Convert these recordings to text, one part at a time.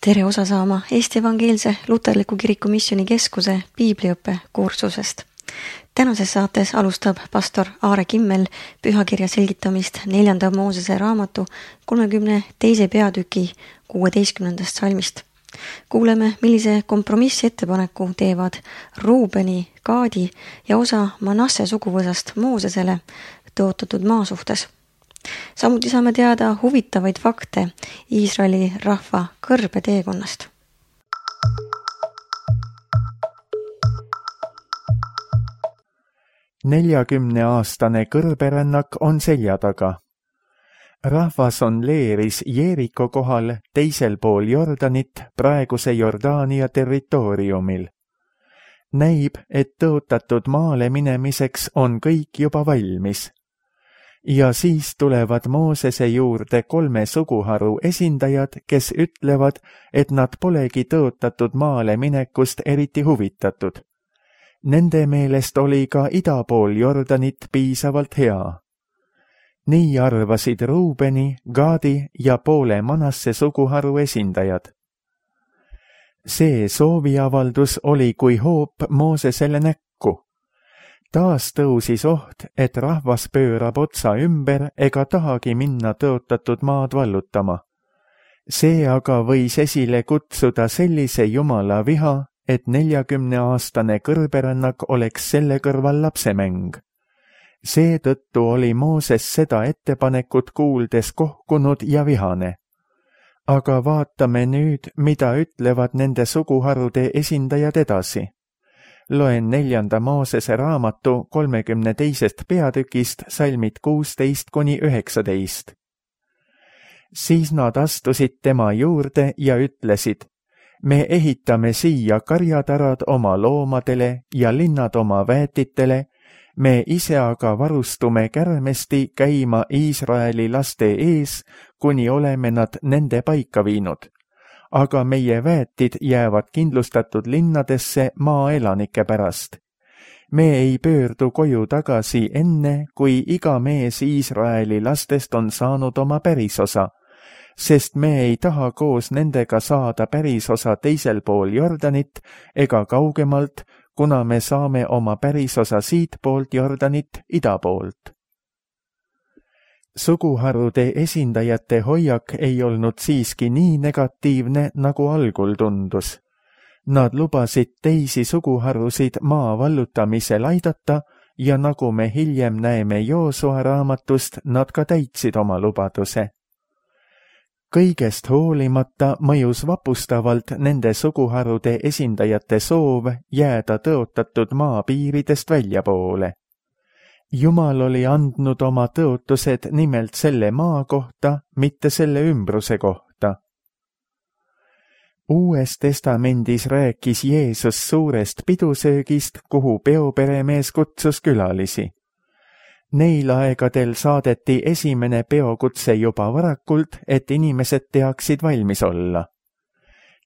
Tere osa saama Eesti Evangeelse Luterliku Kiriku Missiooni Keskuse piibliõppe kursusest. Tänases saates alustab pastor Aare Kimmel pühakirja selgitamist 4. Moosese raamatu 32. peatüki 16. salmist. Kuuleme, millise kompromissettepaneku teevad Ruubeni, Gaadi ja osa Manasse suguvõsast Moosesele tõotatud maa suhtes. Samuti saame teada huvitavaid fakte Iisraeli rahva kõrbeteekonnast. Aastane kõrberännak on selja taga. Rahvas on leeris Jeeriko kohal teisel pool Jordanit praeguse Jordaania territooriumil. Näib, et tõotatud maale minemiseks on kõik juba valmis. Ja siis tulevad Moosese juurde 3 suguharu esindajad, kes ütlevad, et nad polegi tõotatud maale minekust eriti huvitatud. Nende meelest oli ka ida pool Jordanit piisavalt hea. Nii arvasid Ruubeni, Gaadi ja poole Manasse suguharu esindajad. See sooviavaldus oli kui hoop Moosesele näkku. Taas tõusis oht, et rahvas pöörab otsa ümber ega tahagi minna tõotatud maad vallutama. See aga võis esile kutsuda sellise Jumala viha, et 40-aastane kõrberännak oleks selle kõrval lapsemäng. Seetõttu oli Mooses seda ettepanekut kuuldes kohkunud ja vihane. Aga vaatame nüüd, mida ütlevad nende suguharude esindajad edasi. Loen 4. Moosese raamatu 32. peatükist salmid 16–19. Siis nad astusid tema juurde ja ütlesid, me ehitame siia karjatarad oma loomadele ja linnad oma väetitele, me ise aga varustume kärmesti käima Iisraeli laste ees, kuni oleme nad nende paika viinud. Aga meie väetid jäävad kindlustatud linnadesse maaelanike pärast. Me ei pöördu koju tagasi enne, kui iga mees Iisraeli lastest on saanud oma pärisosa, sest me ei taha koos nendega saada pärisosa teisel pool Jordanit ega kaugemalt, kuna me saame oma pärisosa siit poolt Jordanit ida poolt. Suguharude esindajate hoiak ei olnud siiski nii negatiivne, nagu algul tundus. Nad lubasid teisi suguharusid maa vallutamisel aidata ja nagu me hiljem näeme Joosua raamatust, nad ka täitsid oma lubaduse. Kõigest hoolimata mõjus vapustavalt nende suguharude esindajate soov jääda tõotatud maa piiridest väljapoole. Jumal oli andnud oma tõotused nimelt selle maa kohta, mitte selle ümbruse kohta. Uues testamendis rääkis Jeesus suurest pidusöögist, kuhu peoperemees kutsus külalisi. Neil aegadel saadeti esimene peokutse juba varakult, et inimesed teaksid valmis olla.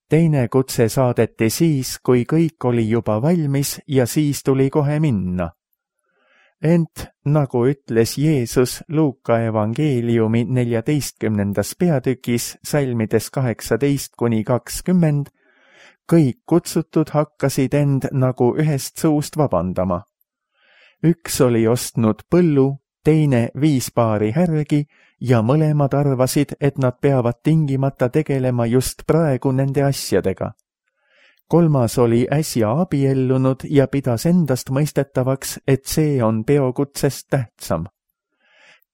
Teine kutse saadeti siis, kui kõik oli juba valmis ja siis tuli kohe minna. Ent, nagu ütles Jeesus Luuka evangeeliumi 14. peatükis salmides 18–20, kõik kutsutud hakkasid end nagu ühest suust vabandama. Üks oli ostnud põllu, teine 5 paari härgi ja mõlemad arvasid, et nad peavad tingimata tegelema just praegu nende asjadega. Kolmas oli äsja abiellunud ja pidas endast mõistetavaks, et see on peokutsest tähtsam.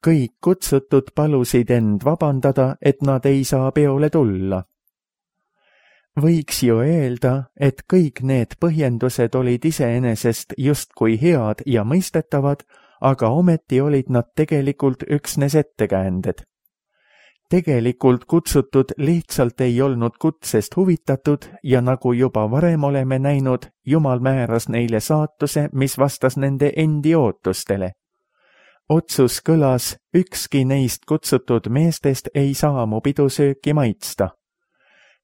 Kõik kutsutud palusid end vabandada, et nad ei saa peole tulla. Võiks ju öelda, et kõik need põhjendused olid iseenesest justkui head ja mõistetavad, aga ometi olid nad tegelikult üksnes ettekäänded. Tegelikult kutsutud lihtsalt ei olnud kutsest huvitatud ja nagu juba varem oleme näinud, Jumal määras neile saatuse, mis vastas nende endi ootustele. Otsus kõlas, ükski neist kutsutud meestest ei saa mu pidusööki maitsta.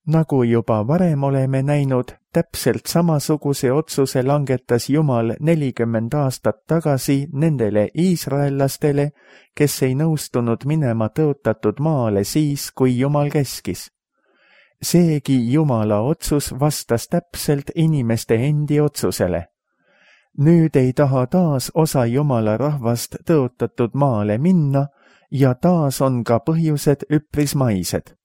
Nagu juba varem oleme näinud, täpselt samasuguse otsuse langetas Jumal 40 aastat tagasi nendele iisraellastele, kes ei nõustunud minema tõotatud maale siis, kui Jumal käskis. Seegi Jumala otsus vastas täpselt inimeste endi otsusele. Nüüd ei taha taas osa Jumala rahvast tõotatud maale minna ja taas on ka põhjused üpris maised.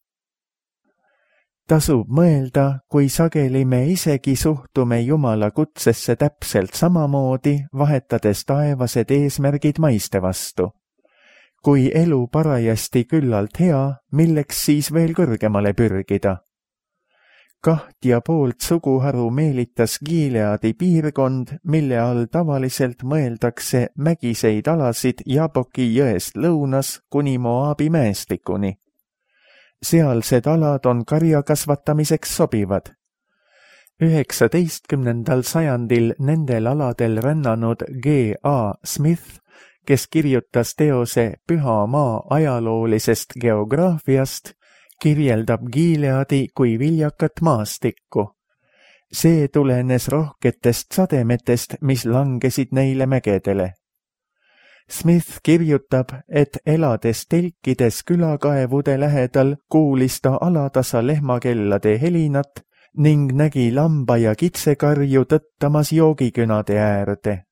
Tasub mõelda, kui sageli me isegi suhtume Jumala kutsesse täpselt samamoodi, vahetades taevased eesmärgid maiste vastu. Kui elu parajasti küllalt hea, milleks siis veel kõrgemale pürgida? 2,5 suguharu meelitas Gileadi piirkond, mille all tavaliselt mõeldakse mägiseid alasid Jaboki jõest lõunas kuni Moabi mäestikuni. Sealsed alad on karja kasvatamiseks sobivad. 19. sajandil nendel aladel rännanud G.A. Smith, kes kirjutas teose Püha maa ajaloolisest geograafiast, kirjeldab Gileadi kui viljakat maastikku. See tulenes rohketest sademetest, mis langesid neile mägedele. Smith kirjutab, et elades telkides külakaevude lähedal kuulis ta alatasa lehmakellade helinat ning nägi lamba- ja kitsekarju tõttamas joogikünade äärde.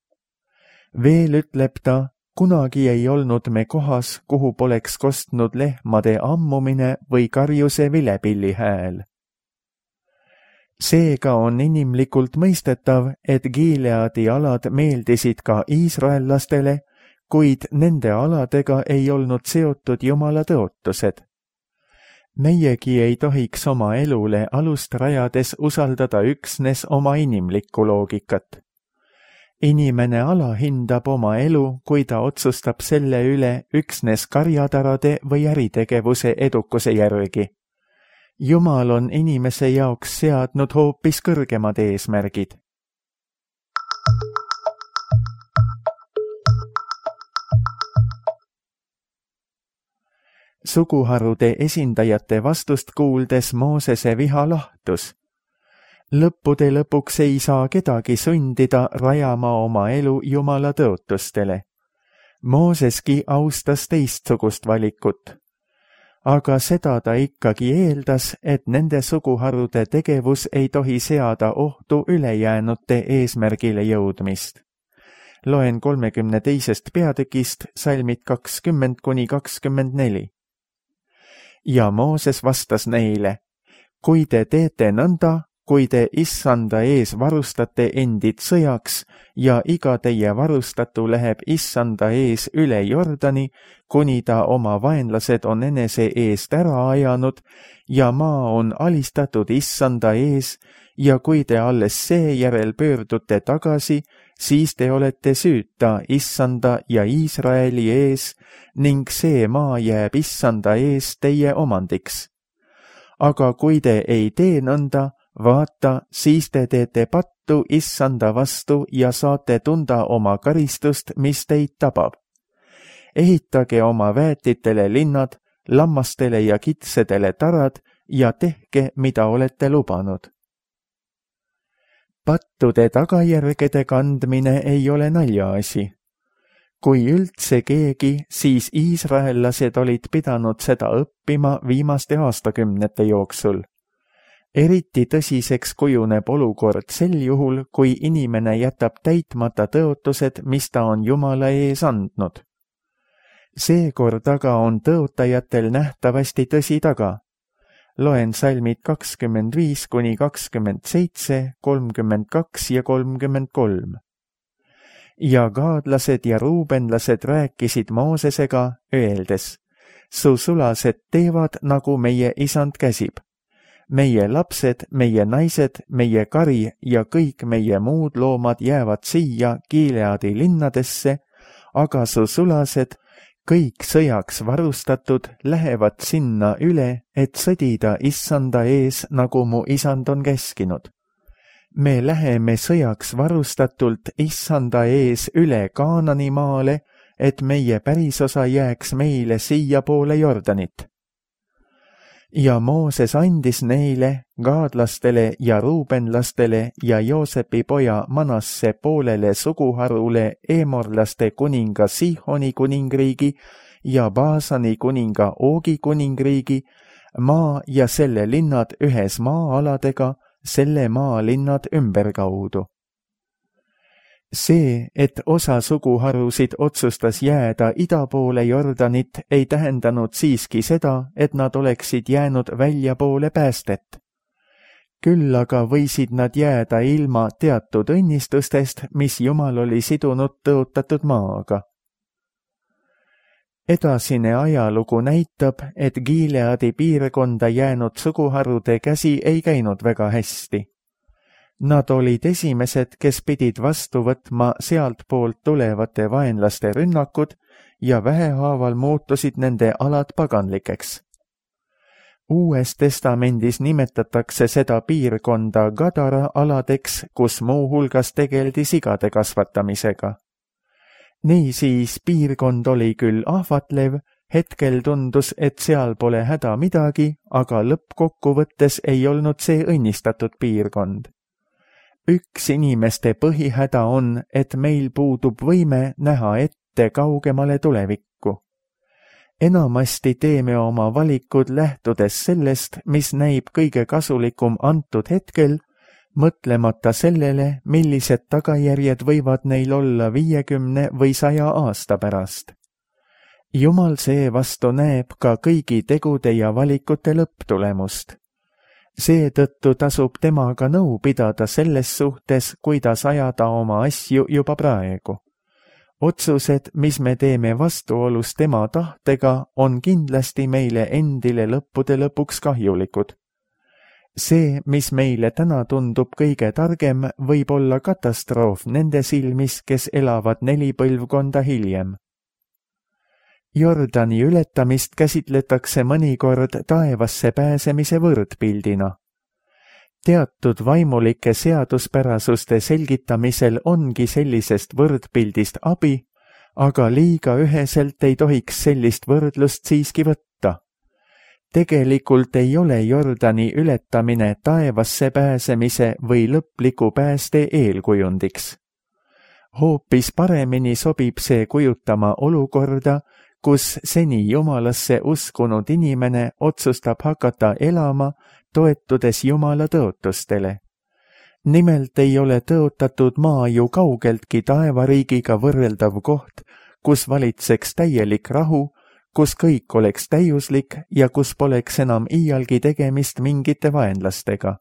Veel ütleb ta, kunagi ei olnud me kohas, kuhu poleks kostnud lehmade ammumine või karjuse vilepilli hääl. Seega on inimlikult mõistetav, et Gileadi alad meeldisid ka iisraellastele, kuid nende aladega ei olnud seotud Jumala tõotused. Meiegi ei tohiks oma elule alust rajades usaldada üksnes oma inimlikku loogikat. Inimene alahindab oma elu, kui ta otsustab selle üle üksnes karjatarade või äritegevuse edukuse järgi. Jumal on inimese jaoks seadnud hoopis kõrgemad eesmärgid. Suguharude esindajate vastust kuuldes Moosese viha lahtus. Lõppude lõpuks ei saa kedagi sundida rajama oma elu Jumala tõotustele. Mooseski austas teistsugust valikut. Aga seda ta ikkagi eeldas, et nende suguharude tegevus ei tohi seada ohtu ülejäänute eesmärgile jõudmist. Loen 32. peatükist salmid 20–24. Ja Mooses vastas neile, kui te teete nõnda, kui te Issanda ees varustate endid sõjaks ja iga teie varustatu läheb Issanda ees üle Jordani, kuni ta oma vaenlased on enese eest ära ajanud ja maa on alistatud Issanda ees ja kui te alles seejärel pöördute tagasi, siis te olete süüta Issanda ja Iisraeli ees ning see maa jääb Issanda ees teie omandiks. Aga kui te ei tee nõnda, vaata, siis te teete pattu Issanda vastu ja saate tunda oma karistust, mis teid tabab. Ehitage oma väetitele linnad, lammastele ja kitsedele tarad ja tehke, mida olete lubanud. Pattude tagajärgede kandmine ei ole naljaasi. Kui üldse keegi, siis iisraellased olid pidanud seda õppima viimaste aastakümnete jooksul. Eriti tõsiseks kujuneb olukord sel juhul, kui inimene jätab täitmata tõotused, mis ta on Jumala ees andnud. Seekord aga on tõotajatel nähtavasti tõsi taga. Loen salmid 25–27, 32 ja 33. Ja gaadlased ja ruubenlased rääkisid Moosesega, öeldes, su sulased teevad, nagu meie isand käsib. Meie lapsed, meie naised, meie kari ja kõik meie muud loomad jäävad siia Gileadi linnadesse, aga su sulased, kõik sõjaks varustatud, lähevad sinna üle, et sõdida Issanda ees, nagu mu isand on käskinud. Me läheme sõjaks varustatult Issanda ees üle Kaanani maale, et meie pärisosa jääks meile siia poole Jordanit. Ja Mooses andis neile, gaadlastele ja ruubenlastele ja Joosepi poja Manasse poolele suguharule eemorlaste kuninga Sihoni kuningriigi ja Baasani kuninga Oogi kuningriigi, maa ja selle linnad ühes maa-aladega, selle maa linnad ümberkaudu. See, et osa suguharusid otsustas jääda ida poole Jordanit, ei tähendanud siiski seda, et nad oleksid jäänud väljapoole päästet. Küll aga võisid nad jääda ilma teatud õnnistustest, mis Jumal oli sidunud tõotatud maaga. Edasine ajalugu näitab, et Gileadi piirkonda jäänud suguharude käsi ei käinud väga hästi. Nad olid esimesed, kes pidid vastu võtma sealtpoolt tulevate vaenlaste rünnakud ja vähehaaval muutusid nende alad paganlikeks. Uues testamendis nimetatakse seda piirkonda Gadara aladeks, kus muuhulgas tegeldi sigade kasvatamisega. Niisiis piirkond oli küll ahvatlev, hetkel tundus, et seal pole häda midagi, aga lõppkokkuvõttes ei olnud see õnnistatud piirkond. Üks inimeste põhihäda on, et meil puudub võime näha ette kaugemale tulevikku. Enamasti teeme oma valikud lähtudes sellest, mis näib kõige kasulikum antud hetkel, mõtlemata sellele, millised tagajärjed võivad neil olla 50 või 100 aasta pärast. Jumal seevastu näeb ka kõigi tegude ja valikute lõpptulemust. Seetõttu tasub temaga nõu pidada selles suhtes, kuidas ajada oma asju juba praegu. Otsused, mis me teeme vastuolus tema tahtega, on kindlasti meile endile lõppude lõpuks kahjulikud. See, mis meile täna tundub kõige targem, võib olla katastroof nende silmis, kes elavad 4 põlvkonda hiljem. Jordani ületamist käsitletakse mõnikord taevasse pääsemise võrdpildina. Teatud vaimulike seaduspärasuste selgitamisel ongi sellisest võrdpildist abi, aga liiga üheselt ei tohiks sellist võrdlust siiski võtta. Tegelikult ei ole Jordani ületamine taevasse pääsemise või lõpliku pääste eelkujundiks. Hoopis paremini sobib see kujutama olukorda, kus seni Jumalasse uskunud inimene otsustab hakata elama, toetudes Jumala tõotustele. Nimelt ei ole tõotatud maa ju kaugeltki taevariigiga võrreldav koht, kus valitseks täielik rahu, kus kõik oleks täiuslik ja kus poleks enam iialgi tegemist mingite vaenlastega.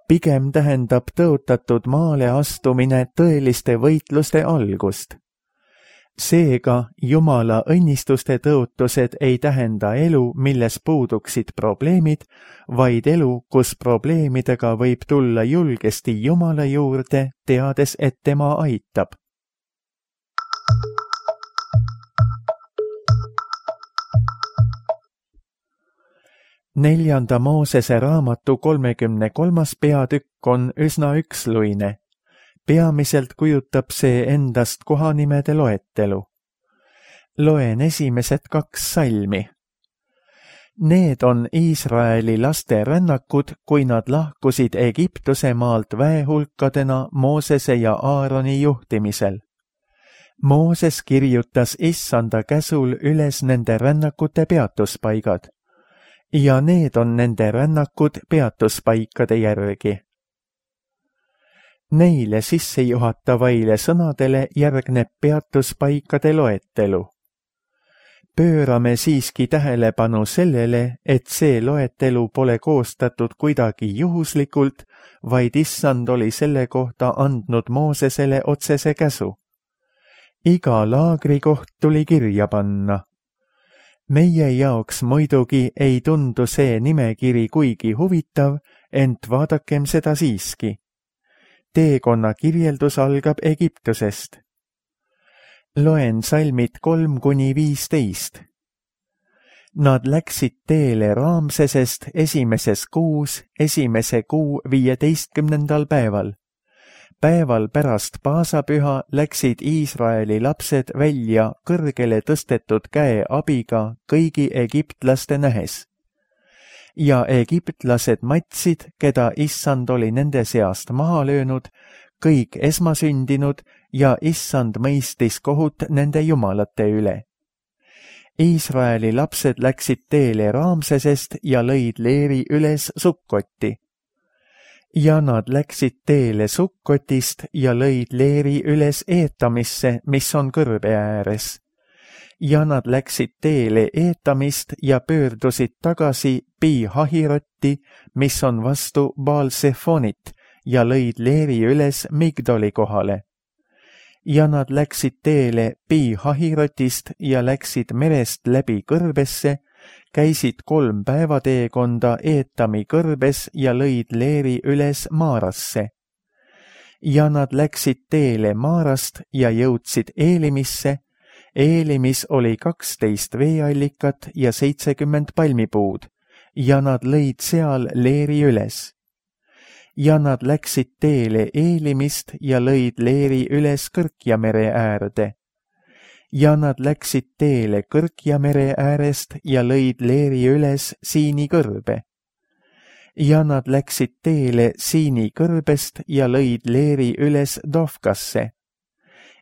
Pigem tähendab tõotatud maale astumine tõeliste võitluste algust. Seega Jumala õnnistuste tõotused ei tähenda elu, milles puuduksid probleemid, vaid elu, kus probleemidega võib tulla julgesti Jumala juurde, teades, et tema aitab. Neljanda Moosese raamatu 33. peatükk on üsna üksluine. Peamiselt kujutab see endast kohanimede loetelu. Loen esimesed 2 salmi. Need on Iisraeli laste rännakud, kui nad lahkusid Egiptuse maalt väehulkadena Moosese ja Aaroni juhtimisel. Mooses kirjutas Issanda käsul üles nende rännakute peatuspaigad. Ja need on nende rännakud peatuspaikade järgi. Neile sissejuhatavaile sõnadele järgneb peatuspaikade loetelu. Pöörame siiski tähelepanu sellele, et see loetelu pole koostatud kuidagi juhuslikult, vaid Issand oli selle kohta andnud Moosesele otsese käsu. Iga laagrikoht tuli kirja panna. Meie jaoks muidugi ei tundu see nimekiri kuigi huvitav, ent vaadakem seda siiski. Teekonna kirjeldus algab Egiptusest. Loen salmid 3-15. Nad läksid teele Raamsesest esimeses kuus, esimese kuu 15. päeval. Päeval pärast paasapüha läksid Iisraeli lapsed välja kõrgele tõstetud käe abiga kõigi egiptlaste nähes. Ja egiptlased matsid, keda Issand oli nende seast maha löönud, kõik esmasündinud ja Issand mõistis kohut nende jumalate üle. Iisraeli lapsed läksid teele Raamsesest ja lõid leeri üles Sukkotti. Ja nad läksid teele Sukkotist ja lõid leeri üles Eetamisse, mis on kõrbe ääres. Ja nad läksid teele Eetamist ja pöördusid tagasi Pi-Hahirotti, mis on vastu Baal-Sefonit, ja lõid leeri üles Migdoli kohale. Ja nad läksid teele Pi-Hahirotist ja läksid merest läbi kõrbesse, käisid 3 päevateekonda Eetami kõrbes ja lõid leeri üles Maarasse. Ja nad läksid teele Maarast ja jõudsid Eelimisse. Eelimis oli 12 veeallikat ja 70 palmipuud, ja nad lõid seal leeri üles. Ja nad läksid teele Eelimist ja lõid leeri üles Kõrkjamere äärde. Ja nad läksid teele Kõrkjamere äärest ja lõid leeri üles Siini kõrbe. Ja nad läksid teele Siini kõrbest ja lõid leeri üles Dovkasse.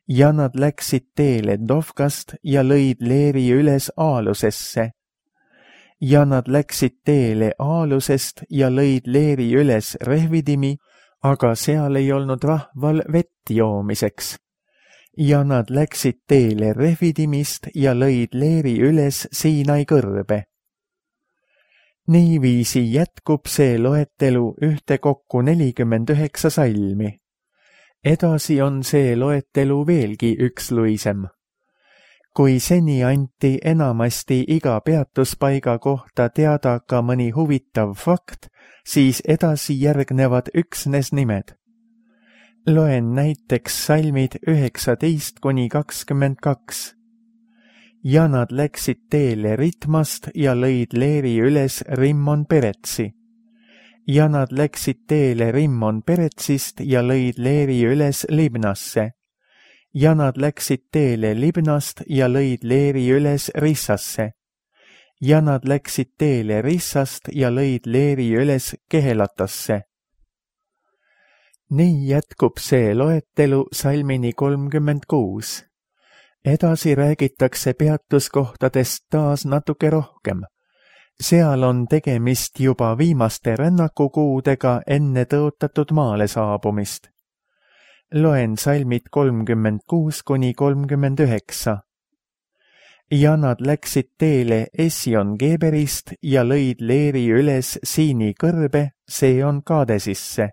Ja nad läksid teele Dovkast ja lõid leeri üles Aalusesse. Ja nad läksid teele Aalusest ja lõid leeri üles Rehvidimi, aga seal ei olnud rahval vett joomiseks. Ja nad läksid teele Rehvidimist ja lõid leeri üles Siinai kõrbe. Niiviisi jätkub see loetelu ühtekokku 49 salmi. Edasi on see loetelu veelgi üksluisem. Kui seni anti enamasti iga peatuspaiga kohta teada ka mõni huvitav fakt, siis edasi järgnevad üksnes nimed. Loen näiteks salmid 19–22. Ja nad läksid teele Ritmast ja lõid leeri üles Rimmon Peretsi. Ja nad läksid teele Rimmon Peretsist ja lõid leeri üles Libnasse. Ja nad läksid teele Libnast ja lõid leeri üles Rissasse. Ja nad läksid teele Rissast ja lõid leeri üles Kehelatasse. Nii jätkub see loetelu salmini 36. Edasi räägitakse peatuskohtadest taas natuke rohkem. Seal on tegemist juba viimaste rännakukuudega enne tõotatud maale saabumist. Loen salmid 36–39. Ja nad läksid teele Ession-Geberist ja lõid leeri üles Siini kõrbe, see on Kaadesisse.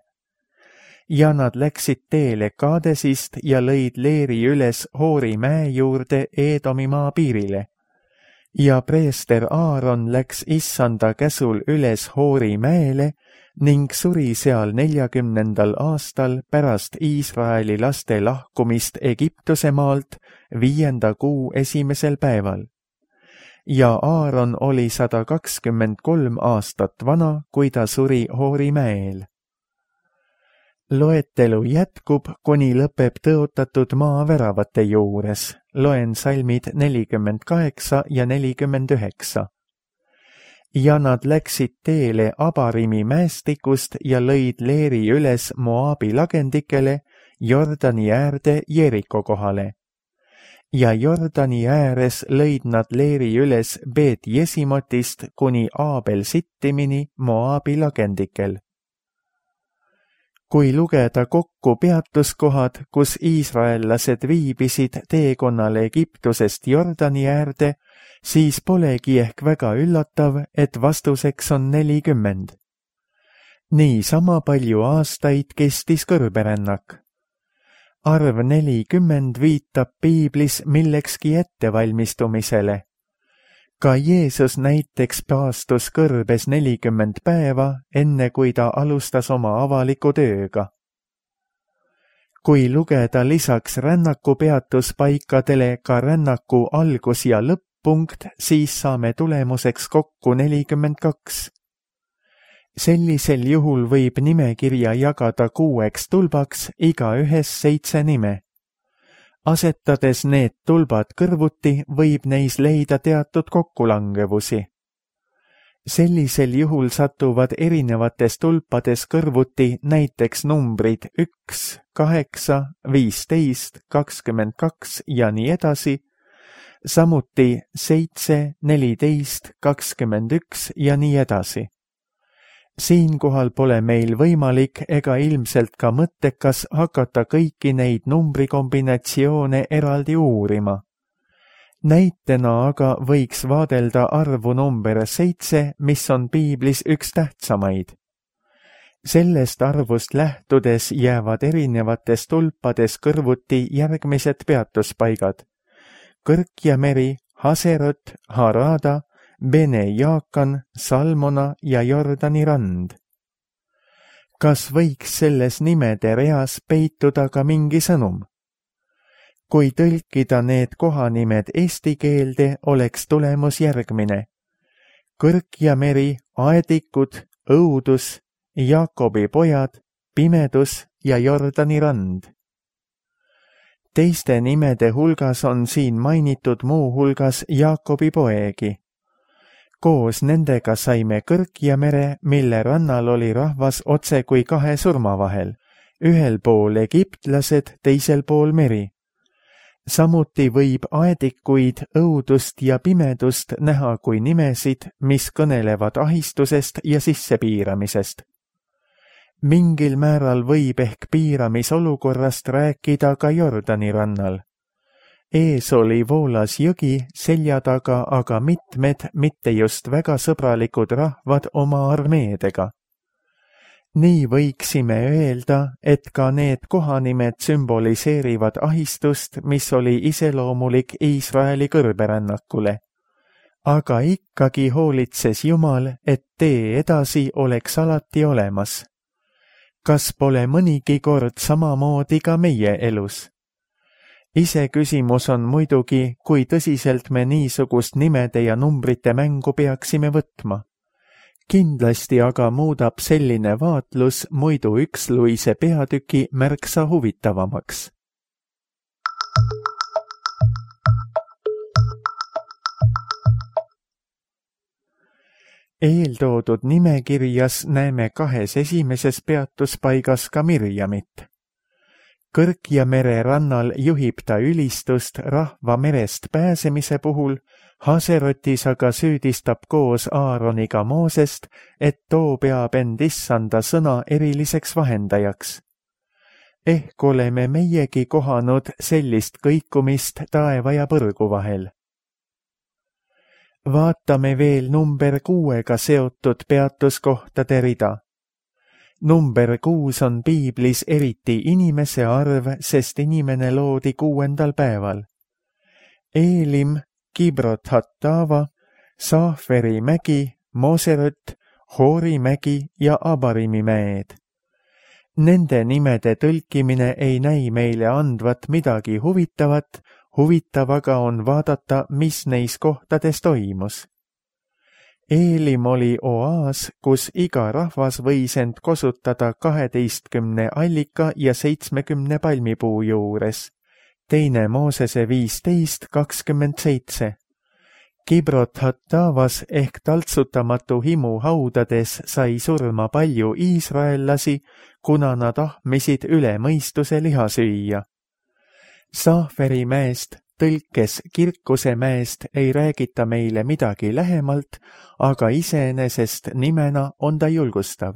Ja nad läksid teele Kaadesist ja lõid leeri üles Hoori mäe juurde Eedomi maa piirile. Ja preester Aaron läks issanda käsul üles Hoori mäele ning suri seal 40. aastal pärast Iisraeli laste lahkumist Egiptuse maalt 5. kuu 1. päeval. Ja Aaron oli 123 aastat vana, kui ta suri Hoori mäel. Loetelu jätkub, kuni lõpeb tõotatud maa väravate juures. Loen salmid 48 ja 49. Ja nad läksid teele Abarimi mäestikust ja lõid leeri üles Moabi lagendikele Jordani äärde Jeriko kohale. Ja Jordani ääres lõid nad leeri üles Beet-Jesimotist kuni Aabel-Sittimini Moabi lagendikel. Kui lugeda kokku peatuskohad, kus iisraellased viibisid teekonnal Egiptusest Jordani äärde, siis polegi ehk väga üllatav, et vastuseks on 40. Nii sama palju aastaid kestis kõrberännak. Arv 40 viitab piiblis millekski ettevalmistumisele. Ka Jeesus näiteks paastus kõrbes 40 päeva, enne kui ta alustas oma avaliku tööga. Kui lugeda lisaks rännaku peatuspaikadele ka rännaku algus- ja lõpp-punkt, siis saame tulemuseks kokku 42. Sellisel juhul võib nimekirja jagada 6 tulbaks, igaühes 7 nime. Asetades need tulbad kõrvuti, võib neis leida teatud kokkulangevusi. Sellisel juhul satuvad erinevates tulpades kõrvuti näiteks numbrid 1, 8, 15, 22 ja nii edasi. samuti 7, 14, 21 ja nii edasi. Siinkohal pole meil võimalik ega ilmselt ka mõttekas hakata kõiki neid numbrikombinatsioone eraldi uurima. Näitena aga võiks vaadelda arvu number 7, mis on piiblis üks tähtsamaid. Sellest arvust lähtudes jäävad erinevates tulpades kõrvuti järgmised peatuspaigad: Kõrk ja meri, Haserot, Harada, Bene Jaakan, Salmona ja Jordani rand. Kas võiks selles nimede reas peituda ka mingi sõnum? Kui tõlkida need kohanimed eesti keelde, oleks tulemus järgmine: Kõrk ja meri, aedikud, õudus, Jaakobi pojad, pimedus ja Jordani rand. Teiste nimede hulgas on siin mainitud muu hulgas Jaakobi poegi. Koos nendega saime Kõrk ja mere, mille rannal oli rahvas otse kui kahe surma vahel, ühel pool egiptlased, teisel pool meri. Samuti võib aedikuid, õudust ja pimedust näha kui nimesid, mis kõnelevad ahistusest ja sissepiiramisest. Mingil määral võib ehk piiramisolukorrast rääkida ka Jordani rannal. Ees oli voolas jõgi, selja taga aga mitmed, mitte just väga sõbralikud rahvad oma armeedega. Nii võiksime öelda, et ka need kohanimed sümboliseerivad ahistust, mis oli iseloomulik Iisraeli kõrberännakule. Aga ikkagi hoolitses Jumal, et tee edasi oleks alati olemas. Kas pole mõnigi kord samamoodi ka meie elus? Iseküsimus on muidugi, kui tõsiselt me niisugust nimede ja numbrite mängu peaksime võtma. Kindlasti aga muudab selline vaatlus muidu üksluise peatüki märksa huvitavamaks. Eeltoodud nimekirjas näeme kahes esimeses peatuspaigas ka Mirjamit. Kõrk ja mere rannal juhib ta ülistust rahva merest pääsemise puhul, Haserotis aga süüdistab koos Aaroniga Moosest, et too peab end issanda sõna eriliseks vahendajaks. Ehk oleme meiegi kohanud sellist kõikumist taeva ja põrgu vahel. Vaatame veel number 6-ga seotud peatuskohtade rida. Number 6 on piiblis eriti inimese arv, sest inimene loodi 6. päeval. Eelim, Kibrot Hattava, Saaferi mägi, Moserot, Hoori mägi ja Abarimi mäed. Nende nimede tõlkimine ei näi meile andvat midagi huvitavat, huvitav aga on vaadata, mis neis kohtades toimus. Eelim oli oaas, kus iga rahvas võis end kosutada 12 allika ja 70 palmipuu juures. Teine Moosese 15:27. Kibrot Hattavas ehk taltsutamatu himu haudades sai surma palju iisraellasi, kuna nad ahmisid üle mõistuse liha süüa. Saaferi mäest, tõlkes Kirkuse mäest, ei räägita meile midagi lähemalt, aga iseenesest nimena on ta julgustav.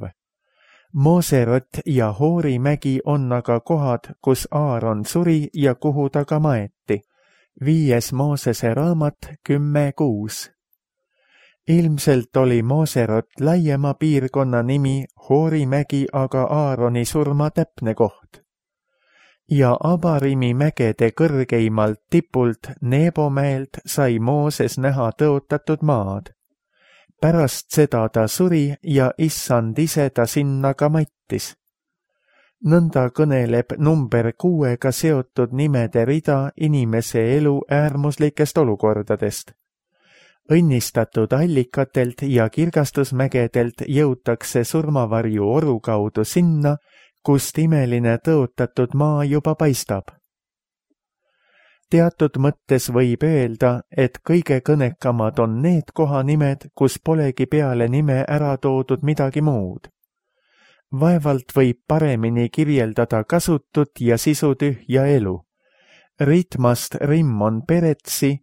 Moserot ja Hoori mägi on aga kohad, kus Aaron suri ja kuhu ta ka maeti. 5. Moosese raamat 10:6. Ilmselt oli Moserot laiema piirkonna nimi, Hoori mägi aga Aaroni surma täpne koht. Ja Abarimi mägede kõrgeimalt tipult Nebo mäelt sai Mooses näha tõotatud maad. Pärast seda ta suri ja issand ise ta sinna ka mattis. Nõnda kõneleb number 6-ga seotud nimede rida inimese elu äärmuslikest olukordadest. Õnnistatud allikatelt ja kirgastusmägedelt jõutakse surmavarju oru kaudu sinna, kust imeline tõotatud maa juba paistab. Teatud mõttes võib öelda, et kõige kõnekamad on need kohanimed, kus polegi peale nime ära toodud midagi muud. Vaevalt võib paremini kirjeldada kasutut ja sisutühja elu. Ritmast Rimmon Peretsi,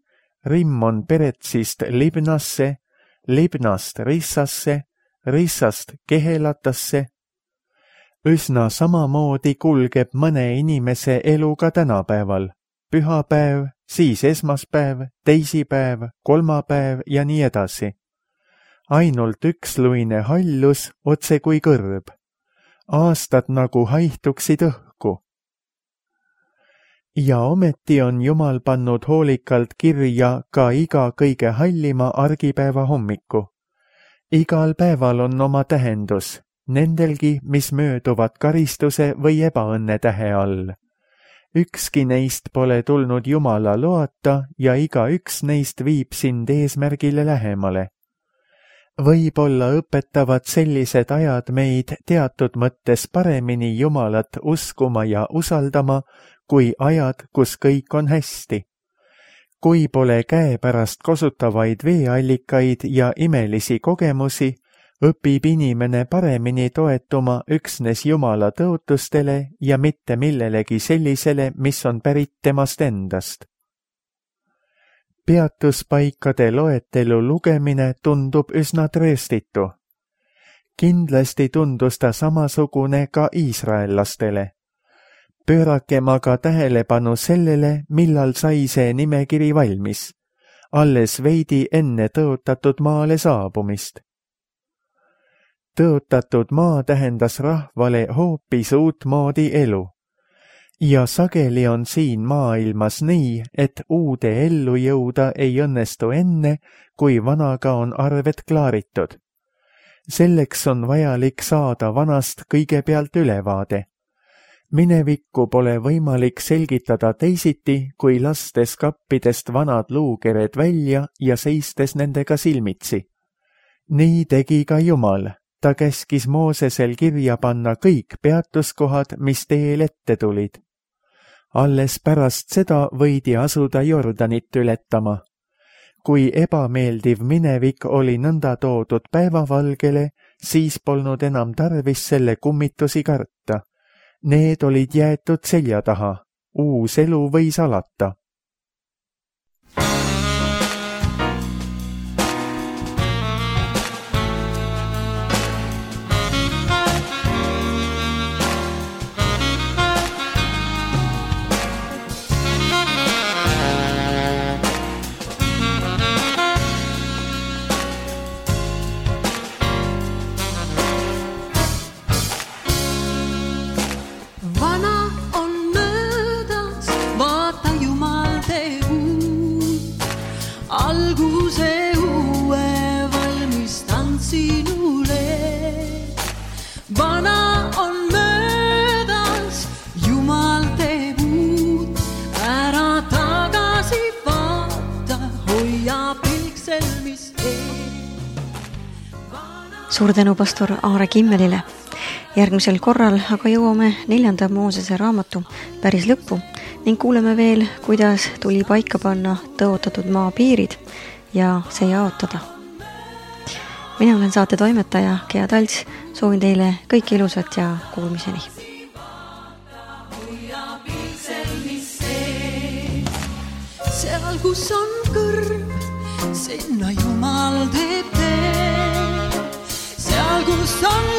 Rimmon Peretsist Libnasse, Libnast Rissasse, Rissast Kehelatasse. Üsna samamoodi kulgeb mõne inimese elu ka tänapäeval. Pühapäev, siis esmaspäev, teisipäev, kolmapäev ja nii edasi. Ainult üksluine hallus otse kui kõrb. Aastad nagu haihtuksid õhku. Ja ometi on Jumal pannud hoolikalt kirja ka iga kõige hallima argipäeva hommiku. Igal päeval on oma tähendus, nendelgi, mis mööduvad karistuse või ebaõnne tähe all. Ükski neist pole tulnud Jumala loata ja igaüks neist viib sind eesmärgile lähemale. Võib-olla õpetavad sellised ajad meid teatud mõttes paremini Jumalat uskuma ja usaldama, kui ajad, kus kõik on hästi. Kui pole käepärast kosutavaid veeallikaid ja imelisi kogemusi, õpib inimene paremini toetuma üksnes Jumala tõotustele ja mitte millelegi sellisele, mis on pärit temast endast. Peatuspaikade loetelu lugemine tundub üsna trööstitu. Kindlasti tundus ta samasugune ka iisraellastele. Pöörakem aga tähelepanu sellele, millal sai see nimekiri valmis, alles veidi enne tõotatud maale saabumist. Tõotatud maa tähendas rahvale hoopis uutmoodi elu. Ja sageli on siin maailmas nii, et uude ellu jõuda ei õnnestu enne, kui vanaga on arved klaaritud. Selleks on vajalik saada vanast kõigepealt ülevaade. Minevikku pole võimalik selgitada teisiti, kui lastes kappidest vanad luukered välja ja seistes nendega silmitsi. Nii tegi ka Jumal. Ta käskis Moosesel kirja panna kõik peatuskohad, mis teel ette tulid. Alles pärast seda võidi asuda Jordanit ületama. Kui ebameeldiv minevik oli nõnda toodud päevavalgele, siis polnud enam tarvis selle kummitusi karta. Need olid jäetud selja taha. Uus elu võis alata. Suur tänu pastor Aare Kimmelile. Järgmisel korral aga jõuame 4. Moosese raamatu päris lõppu ning kuuleme veel, kuidas tuli paika panna tõotatud maa piirid ja see jaotada. Mina olen saate toimetaja Gea Talts, soovin teile kõike ilusat ja kuulmiseni. Seal, kus on kõrb, sinna Jumal teeb tee. Seal, kus on